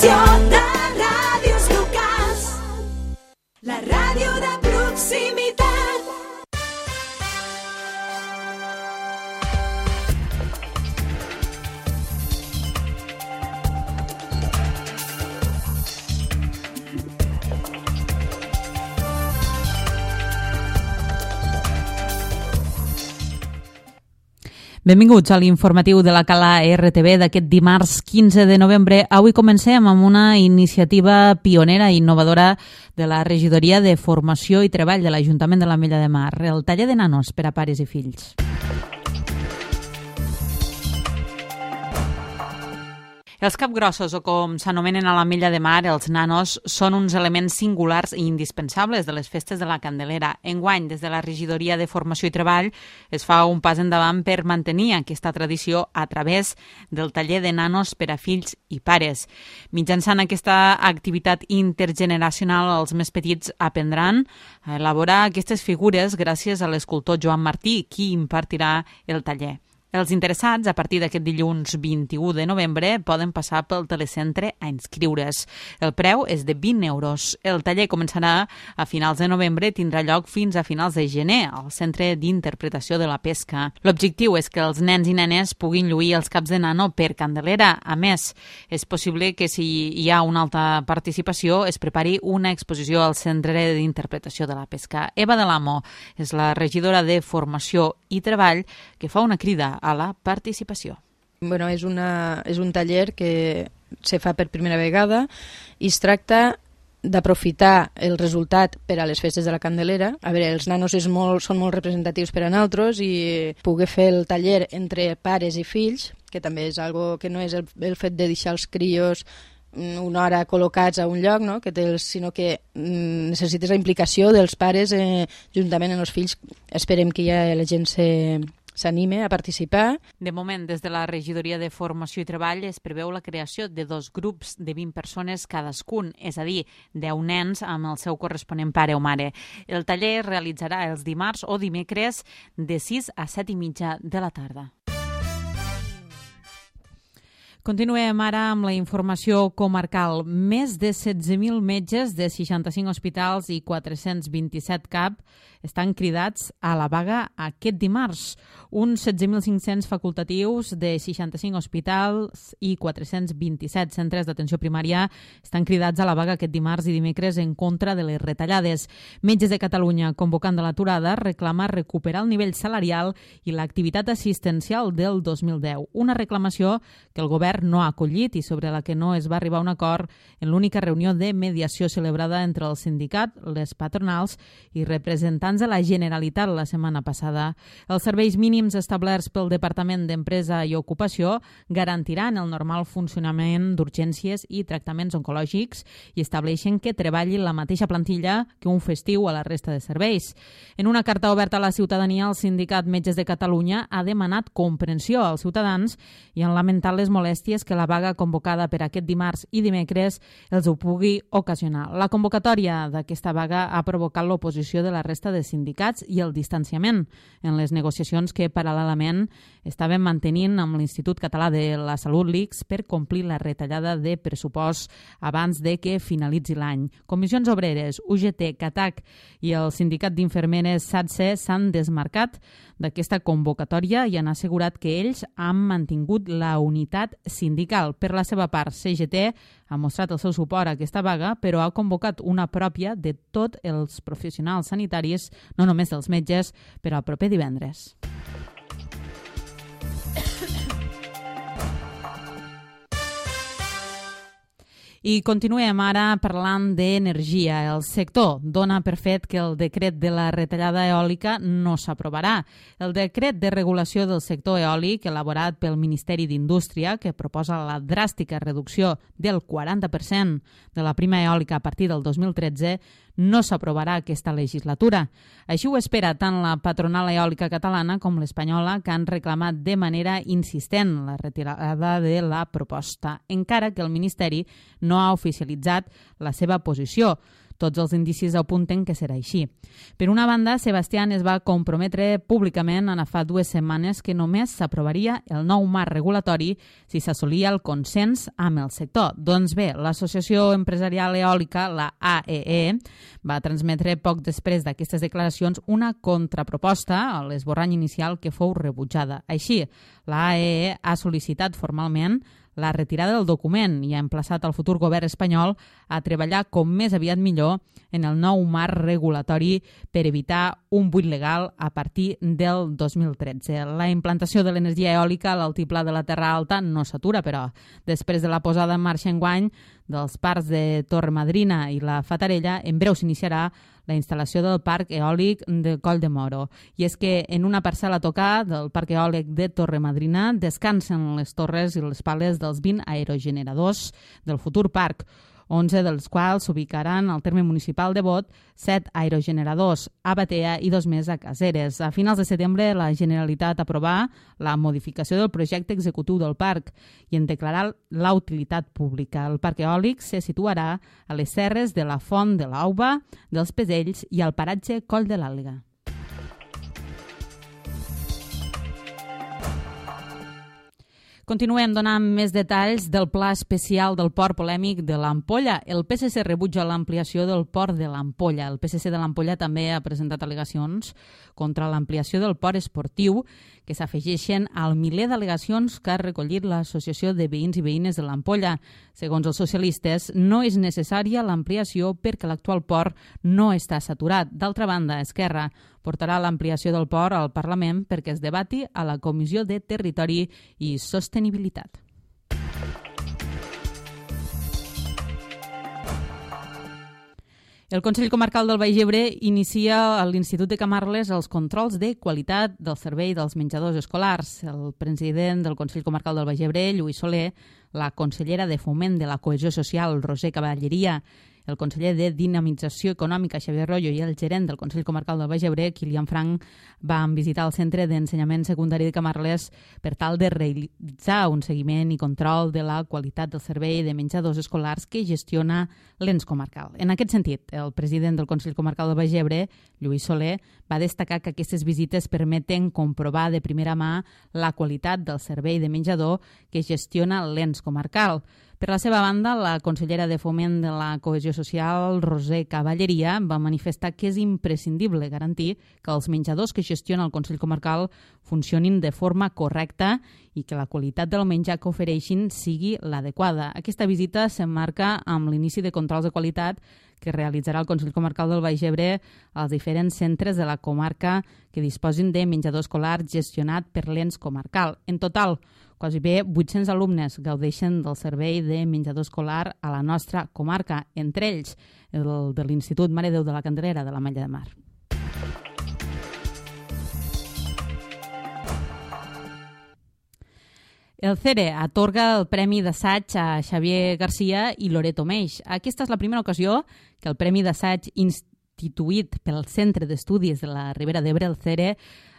Associació de Ràdios Locals. La ràdio de proximitat. Benvinguts a l'informatiu de la Cala RTV d'aquest dimarts 15 de novembre. Avui comencem amb una iniciativa pionera i innovadora de la Regidoria de Formació i Treball de l'Ajuntament de l'Ametlla de Mar, el taller de nanos per a pares i fills. Els capgrossos, o com s'anomenen a l'Ametlla de Mar, els nanos, són uns elements singulars i indispensables de les festes de la Candelera. Enguany, des de la Regidoria de Formació i Treball, es fa un pas endavant per mantenir aquesta tradició a través del taller de nanos per a fills i pares. Mitjançant aquesta activitat intergeneracional, els més petits aprendran a elaborar aquestes figures gràcies a l'escultor Joan Martí, qui impartirà el taller. Els interessats, a partir d'aquest dilluns 21 de novembre, poden passar pel telecentre a inscriure's. El preu és de 20 euros. El taller començarà a finals de novembre i tindrà lloc fins a finals de gener al Centre d'Interpretació de la Pesca. L'objectiu és que els nens i nenes puguin lluir els caps de nano per Candelera. A més, és possible que si hi ha una alta participació es prepari una exposició al Centre d'Interpretació de la Pesca. Eva de l'Amo és la regidora de Formació i Treball que fa una crida a la participació. Bueno, és un taller que se fa per primera vegada i es tracta d'aprofitar el resultat per a les festes de la Candelera. A veure, els nanos són molt representatius per a nosaltres i poder fer el taller entre pares i fills, que també és algo que no és el fet de deixar els crios una hora col·locats a un lloc, no? Sinó que necessites la implicació dels pares juntament amb els fills. Esperem que ja la gent s'anime a participar. De moment, des de la Regidoria de Formació i Treball es preveu la creació de 2 grups de 20 persones cadascun, és a dir, 10 nens amb el seu corresponent pare o mare. El taller es realitzarà els dimarts o dimecres de 6 a 7:30 de la tarda. Continuem ara amb la informació comarcal. Més de 16.000 metges de 65 hospitals i 427 CAP estan cridats a la vaga aquest dimarts. Uns 16.500 facultatius de 65 hospitals i 427 centres d'atenció primària estan cridats a la vaga aquest dimarts i dimecres en contra de les retallades. Metges de Catalunya, convocant de l'aturada, reclama recuperar el nivell salarial i l'activitat assistencial del 2010. Una reclamació que el govern no ha acollit i sobre la que no es va arribar a un acord en l'única reunió de mediació celebrada entre el sindicat, les patronals i representants de la Generalitat la setmana passada. Els serveis mínims establerts pel Departament d'Empresa i Ocupació garantiran el normal funcionament d'urgències i tractaments oncològics i estableixen que treballi la mateixa plantilla que un festiu a la resta de serveis. En una carta oberta a la ciutadania, el sindicat Metges de Catalunya ha demanat comprensió als ciutadans i han lamentat les molèsties que la vaga convocada per aquest dimarts i dimecres els ho pugui ocasionar. La convocatòria d'aquesta vaga ha provocat l'oposició de la resta de sindicats i el distanciament en les negociacions que paral·lelament estaven mantenint amb l'Institut Català de la Salut, l'ICS, per complir la retallada de pressupost abans de que finalitzi l'any. Comissions Obreres, UGT, CATAC i el sindicat d'infermeres SATSE s'han desmarcat d'aquesta convocatòria i han assegurat que ells han mantingut la unitat sindical. Per la seva part, CGT ha mostrat el seu suport a aquesta vaga, però ha convocat una pròpia de tots els professionals sanitaris, no només dels metges, per al proper divendres. I continuem ara parlant d'energia. El sector dona per fet que el decret de la retallada eòlica no s'aprovarà. El decret de regulació del sector eòlic, elaborat pel Ministeri d'Indústria, que proposa la dràstica reducció del 40% de la prima eòlica a partir del 2013, no s'aprovarà aquesta legislatura. Així ho espera tant la patronal eòlica catalana com l'espanyola, que han reclamat de manera insistent la retirada de la proposta, encara que el Ministeri no ha oficialitzat la seva posició. Tots els indicis apunten que serà així. Per una banda, Sebastián es va comprometre públicament ara fa 2 setmanes que només s'aprovaria el nou marc regulatori si s'assolia el consens amb el sector. Doncs bé, l'Associació Empresarial Eòlica, la AEE, va transmetre poc després d'aquestes declaracions una contraproposta a l'esborrany inicial que fou rebutjada. Així, la AEE ha sol·licitat formalment la retirada del document i ha emplaçat el futur govern espanyol a treballar com més aviat millor en el nou marc regulatori per evitar un buit legal a partir del 2013. La implantació de l'energia eòlica a l'altiplà de la Terra Alta no s'atura, però després de la posada en marxa enguany dels parcs de Torremadrina i la Fatarella, en breu s'iniciarà la instal·lació del parc eòlic de Coll de Moro. I és que en una parcel·la a tocar del parc eòlic de Torremadrina descansen les torres i les pales dels 20 aerogeneradors del futur parc, 11 dels quals s'ubicaran al terme municipal de Bot, 7 aerogeneradors a Batea i 2 més a Caseres. A finals de setembre, la Generalitat aprovà la modificació del projecte executiu del parc i en declarar la utilitat pública. El parc eòlic se situarà a les serres de la Font de l'Auba, dels Pesells i al paratge Coll de l'Àliga. Continuem donant més detalls del pla especial del port polèmic de l'Ampolla. El PSC rebutja l'ampliació del port de l'Ampolla. El PSC de l'Ampolla també ha presentat al·legacions contra l'ampliació del port esportiu, que s'afegeixen al miler d'al·legacions que ha recollit l'Associació de Veïns i Veïnes de l'Ampolla. Segons els socialistes, no és necessària l'ampliació perquè l'actual port no està saturat. D'altra banda, Esquerra portarà l'ampliació del port al Parlament perquè es debati a la Comissió de Territori i Sostenibilitat. El Consell Comarcal del Baix Ebre inicia a l'Institut de Camarles els controls de qualitat del servei dels menjadors escolars. El president del Consell Comarcal del Baix Ebre, Lluís Soler, la consellera de Foment de la Cohesió Social, Roser Cavalleria, el conseller de Dinamització Econòmica, Xavier Royo, i el gerent del Consell Comarcal del Baix Ebre, Kilian Frank, van visitar el Centre d'Ensenyament Secundari de Camarles per tal de realitzar un seguiment i control de la qualitat del servei de menjadors escolars que gestiona l'ens comarcal. En aquest sentit, el president del Consell Comarcal del Baix Ebre, Lluís Soler, va destacar que aquestes visites permeten comprovar de primera mà la qualitat del servei de menjador que gestiona l'ens comarcal. Per la seva banda, la consellera de Foment de la Cohesió Social, Roser Cavalleria, va manifestar que és imprescindible garantir que els menjadors que gestiona el Consell Comarcal funcionin de forma correcta i que la qualitat del menjar que ofereixin sigui l'adequada. Aquesta visita s'emmarca amb l'inici de controls de qualitat que realitzarà el Consell Comarcal del Baix Ebre als diferents centres de la comarca que disposin de menjador escolar gestionat per l'ens comarcal. En total, quasi bé 800 alumnes gaudeixen del servei de menjador escolar a la nostra comarca, entre ells el de l'Institut Mare Déu de la Candelera de la Malla de Mar. El CERE atorga el Premi d'Assaig a Xavier Garcia i Loreto Meix. Aquesta és la primera ocasió que el Premi d'Assaig instituït pel Centre d'Estudis de la Ribera d'Ebre, el CERE,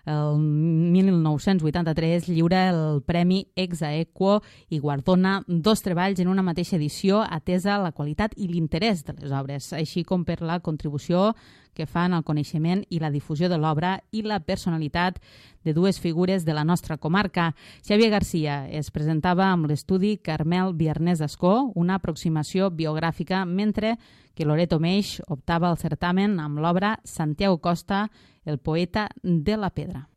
el 1983 lliura el Premi Ex Aequo i guardona 2 treballs en una mateixa edició atesa la qualitat i l'interès de les obres, així com per la contribució que fan al coneixement i la difusió de l'obra i la personalitat de 2 figures de la nostra comarca. Xavier Garcia es presentava amb l'estudi Carmel Biarnés d'Ascó, una aproximació biogràfica, mentre que Loreto Meix optava al certamen amb l'obra Santiago Costa, el poeta de la pedra.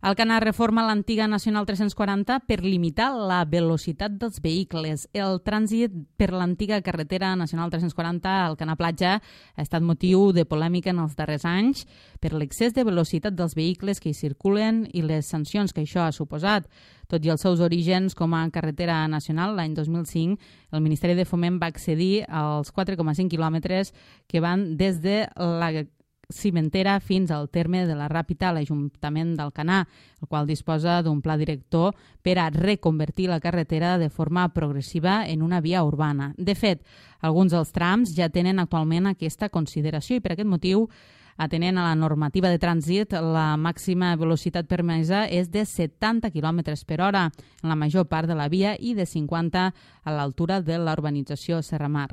Alcanar reforma l'antiga Nacional 340 per limitar la velocitat dels vehicles. El trànsit per l'antiga carretera Nacional 340 a Alcanar Platja ha estat motiu de polèmica en els darrers anys per l'excés de velocitat dels vehicles que hi circulen i les sancions que això ha suposat. Tot i els seus orígens com a carretera nacional, l'any 2005, el Ministeri de Foment va accedir als 4,5 quilòmetres que van des de la Cimentera fins al terme de la Ràpita a l'Ajuntament d'Alcanar, el qual disposa d'un pla director per a reconvertir la carretera de forma progressiva en una via urbana. De fet, alguns dels trams ja tenen actualment aquesta consideració i per aquest motiu Atenent a la normativa de trànsit, la màxima velocitat permesa és de 70 km per hora en la major part de la via i de 50 a l'altura de la urbanització Serramar.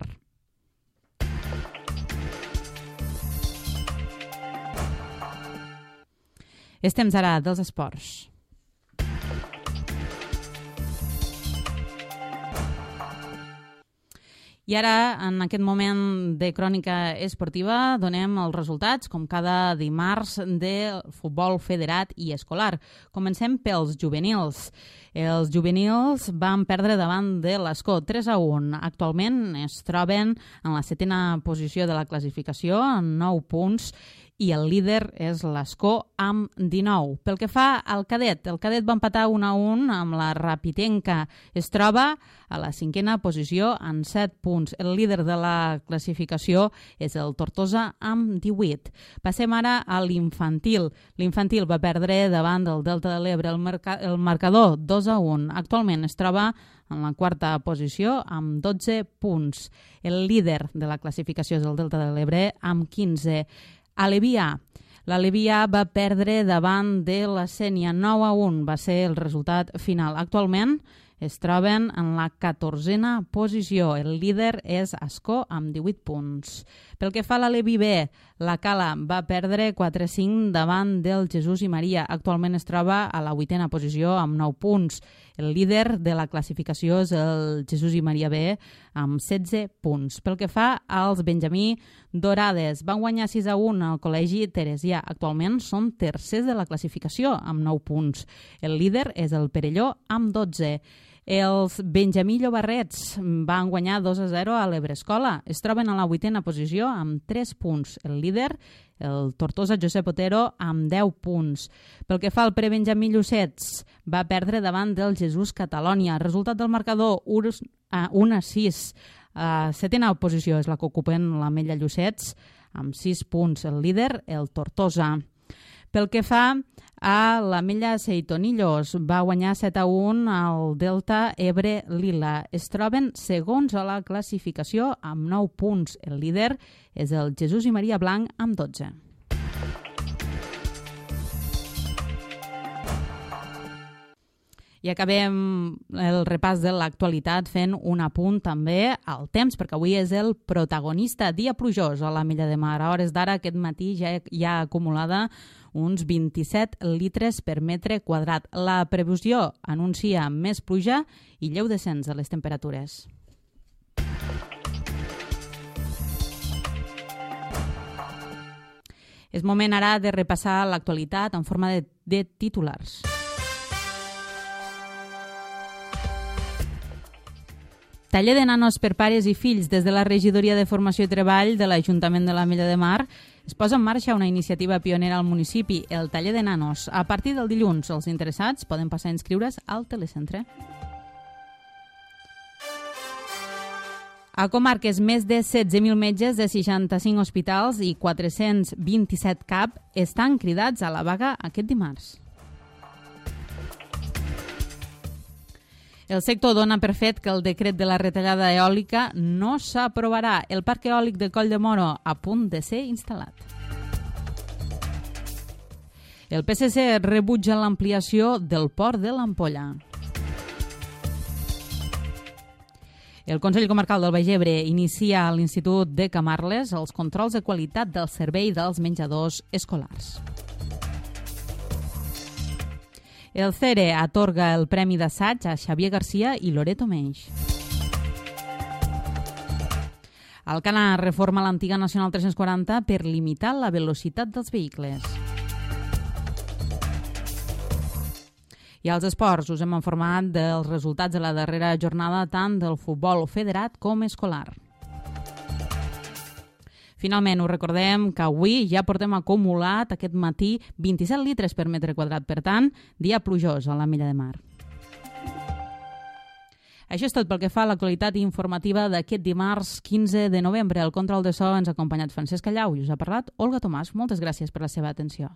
És temps ara dels esports. I ara, en aquest moment de crònica esportiva, donem els resultats, com cada dimarts, del futbol federat i escolar. Comencem pels juvenils. Els juvenils van perdre davant de l'Escó 3-1. Actualment es troben en la 7a posició de la classificació, amb 9 punts, i el líder és l'Escó amb 19. Pel que fa al cadet, el cadet va empatar 1-1 amb la Rapitenca. Es troba a la 5a posició amb 7 punts. El líder de la classificació és el Tortosa amb 18. Passem ara a l'infantil. L'infantil va perdre davant del Delta de l'Ebre el marcador 2-1. Actualment es troba en la 4a posició amb 12 punts. El líder de la classificació és el Delta de l'Ebre amb 15. Alevià. L'Alevià va perdre davant de la Sénia 9-1. Va ser el resultat final. Actualment es troben en la 14a posició. El líder és Ascó amb 18 punts. Pel que fa a l'Alevi B, la Cala va perdre 4-5 davant del Jesús i Maria. Actualment es troba a la 8a posició amb 9 punts. El líder de la classificació és el Jesús i Maria B amb 16 punts. Pel que fa als Benjamí Dorades, van guanyar 6-1 al Col·legi Teresià. Actualment són tercers de la classificació amb 9 punts. El líder és el Perelló amb 12. Els Benjamí Llobarrets van guanyar 2-0 a l'Ebrescola. Es troben a la 8a posició amb 3 punts. El líder, el Tortosa Josep Otero, amb 10 punts. Pel que fa al Prebenjamí Llucets, va perdre davant del Jesús Catalònia. Resultat del marcador 1-6. A 7a posició és la que ocupen l'Ametlla Llucets, amb 6 punts. El líder, el Tortosa. Pel que fa a l'Ametlla Seitonillos, va guanyar 7-1 al Delta Ebre Lila. Es troben segons a la classificació amb 9 punts. El líder és el Jesús i Maria Blanc amb 12. I acabem el repàs de l'actualitat fent un apunt també al temps, perquè avui és el protagonista. Dia plujós a l'Ametlla de Mar. A hores d'ara, aquest matí ja hi ha acumulada uns 27 litres per metre quadrat. La previsió anuncia més pluja i lleu descens de les temperatures. És moment ara de repassar l'actualitat en forma de titulars. Taller de nanos per pares i fills des de la Regidoria de Formació i Treball de l'Ajuntament de l'Ametlla de Mar es posa en marxa una iniciativa pionera al municipi, el Taller de Nanos. A partir del dilluns, els interessats poden passar a inscriure's al telecentre. A comarques, més de 16.000 metges de 65 hospitals i 427 CAP estan cridats a la vaga aquest dimarts. El sector dona per fet que el decret de la retallada eòlica no s'aprovarà. El parc eòlic de Coll de Moro a punt de ser instal·lat. El PSC rebutja l'ampliació del port de l'Ampolla. El Consell Comarcal del Baix Ebre inicia a l'Institut de Camarles els controls de qualitat del servei dels menjadors escolars. El CERE atorga el Premi d'Assaig a Xavier Garcia i Loreto Meix. Alcanar reforma l'antiga Nacional 340 per limitar la velocitat dels vehicles. I als esports us hem informat dels resultats de la darrera jornada tant del futbol federat com escolar. Finalment, us recordem que avui ja portem acumulat aquest matí 27 litres per metre quadrat. Per tant, dia plujós a l'Ametlla de Mar. Això és tot pel que fa a l'actualitat informativa d'aquest dimarts 15 de novembre. Al control de so ens ha acompanyat Francesc Callau i us ha parlat Olga Tomàs. Moltes gràcies per la seva atenció.